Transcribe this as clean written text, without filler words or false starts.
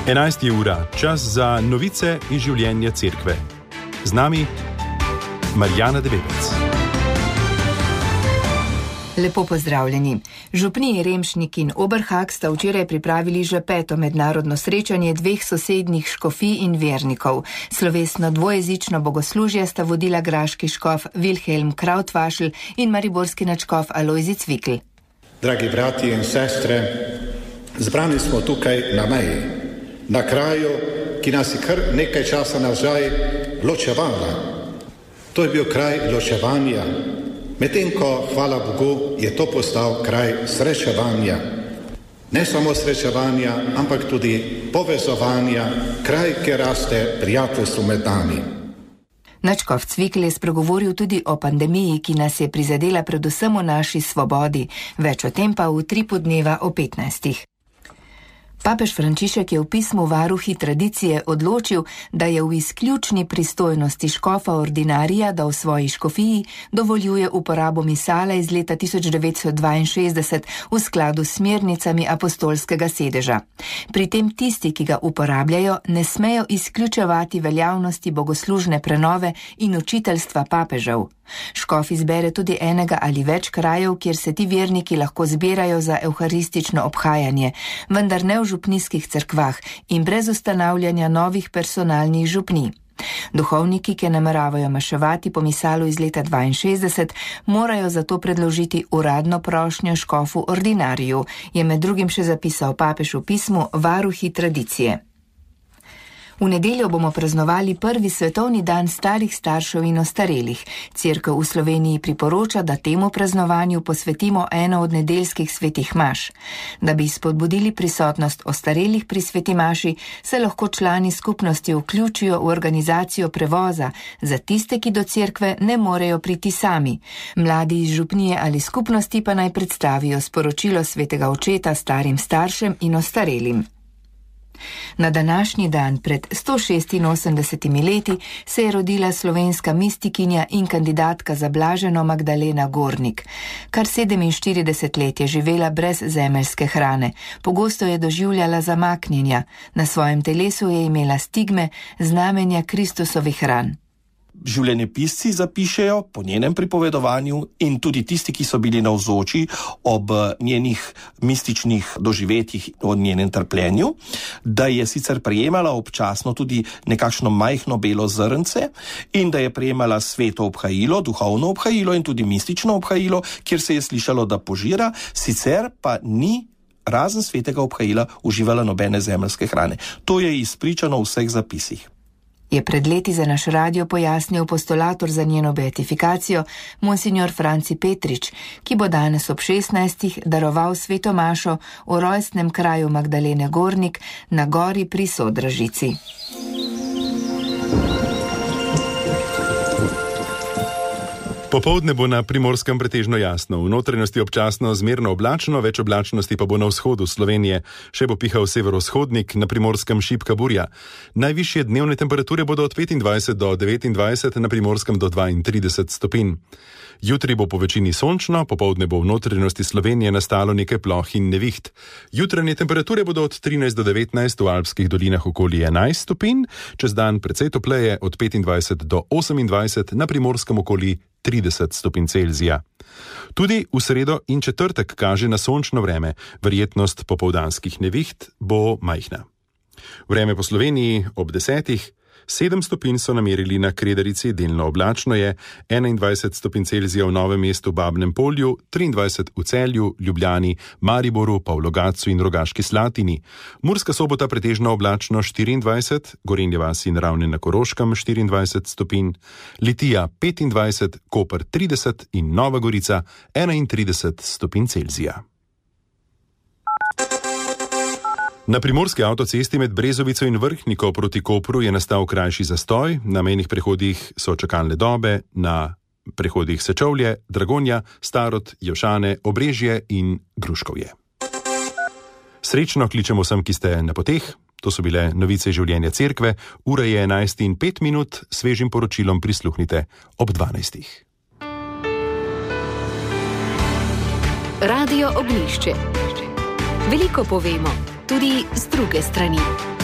11. ura, čas za novice iz življenja cerkve. Z nami Marjana Debebec. Lepo pozdravljeni. Župniji Remšnik in Oberhag sta včeraj pripravili že 5. mednarodno srečanje dveh sosednjih škofij in vernikov. Slovesno dvojezično bogoslužje sta vodila graški škof Wilhelm Krautvašl in mariborski nadškof Alojzij Cvikl. Dragi bratje in sestre, zbrani smo tukaj na meji, na kraju, ki nas je kar nekaj časa nazaj ločevala. To je bil kraj ločevanja, medtem ko, hvala Bogu, je to postal kraj srečevanja. Ne samo srečevanja, ampak tudi povezovanja, kraj, kjer raste prijateljstvo med nami. Nadškof Cvikl je spregovoril tudi o pandemiji, ki nas je prizadela predvsem v naši svobodi. Več o tem pa v Tripu dneva o 15. Papež Frančišek je v pismu Varuhi tradicije odločil, da je v izključni pristojnosti škofa ordinarija, da v svoji škofiji dovoljuje uporabo misala iz leta 1962 v skladu s smernicami apostolskega sedeža. Pri tem tisti, ki ga uporabljajo, ne smejo izključevati veljavnosti bogoslužne prenove in učiteljstva papežev. Škof izbere tudi enega ali več krajev, kjer se ti verniki lahko zbirajo za evharistično obhajanje, vendar ne v župnijskih cerkvah in brez ustanavljanja novih personalnih župnij. Duhovniki, ki nameravajo maševati po misalu iz leta 62, morajo zato predložiti uradno prošnjo škofu ordinariju, je med drugim še zapisal papež v pismu Varuhi tradicije. V nedeljo bomo praznovali prvi svetovni dan starih staršev in ostarelih. Cerkev v Sloveniji priporoča, da temu praznovanju posvetimo eno od nedeljskih svetih maš. Da bi spodbudili prisotnost ostarelih pri sveti maši, se lahko člani skupnosti vključijo v organizacijo prevoza za tiste, ki do cerkve ne morejo priti sami. Mladi iz župnije ali skupnosti pa naj predstavijo sporočilo svetega očeta starim staršem in ostarelim. Na današnji dan pred 186 leti se je rodila slovenska mistikinja in kandidatka za blaženo Magdalena Gornik. Kar 47 let je živela brez zemeljske hrane, pogosto je doživljala zamaknjenja, na svojem telesu je imela stigme, znamenja Kristusovih ran. Življenjepisci zapišejo po njenem pripovedovanju in tudi tisti, ki so bili navzoči ob njenih mističnih doživetjih o njenem trpljenju, da je sicer prejemala občasno tudi nekakšno majhno belo zrnce in da je prejemala sveto obhajilo, duhovno obhajilo in tudi mistično obhajilo, kjer se je slišalo, da požira, sicer pa ni razen svetega obhajila uživala nobene zemeljske hrane. To je izpričano v vseh zapisih. Je pred leti za naš radio pojasnil postulator za njeno beatifikacijo, monsignor Franci Petrič, ki bo danes ob 16. daroval sveto mašo v rojstnem kraju Magdalene Gornik na gori pri Sodražici. Popoldne bo na Primorskem pretežno jasno, v notranjosti občasno zmerno oblačno, več oblačnosti pa bo na vzhodu Slovenije. Še bo pihal severovzhodnik, na Primorskem šibka burja. Najvišje dnevne temperature bodo od 25 do 29, na Primorskem do 32 stopinj. Jutri bo po večini sončno, popoldne bo v notranjosti Slovenije nastalo nekaj ploh in neviht. Jutranje temperature bodo od 13 do 19, v alpskih dolinah okoli 11 stopinj, čez dan precej topleje od 25 do 28, na Primorskem okoli 30 stopinj Celzija. Tudi v sredo in četrtek kaže na sončno vreme, verjetnost popoldanskih neviht bo majhna. Vreme po Sloveniji ob 10. 7 stopinj so namerili na Kredarici, delno oblačno je, 21 stopinj Celzija v Novem mestu, Babnem Polju, 23 v Celju, Ljubljani, Mariboru, pa v Logatcu in Rogaški Slatini. Murska Sobota pretežno oblačno 24, Gorenje vasi in Ravne na Koroškem 24 stopinj, Litija 25, Koper 30 in Nova Gorica 31 stopinj Celzija. Na primorski avtocesti med Brezovico in Vrhniko proti Kopru je nastal krajši zastoj, na mejnih prehodih so čakalne dobe, na prehodih Sečovlje, Dragonja, Starod, Jevšane, Obrežje in Gruškovje. Srečno kličemo vsem, ki ste na poteh. To so bile novice življenja cerkve. Ura je 11:05, svežim poročilom prisluhnite ob 12. Radio Ognjišče. Veliko povemo, tudi z druge strani.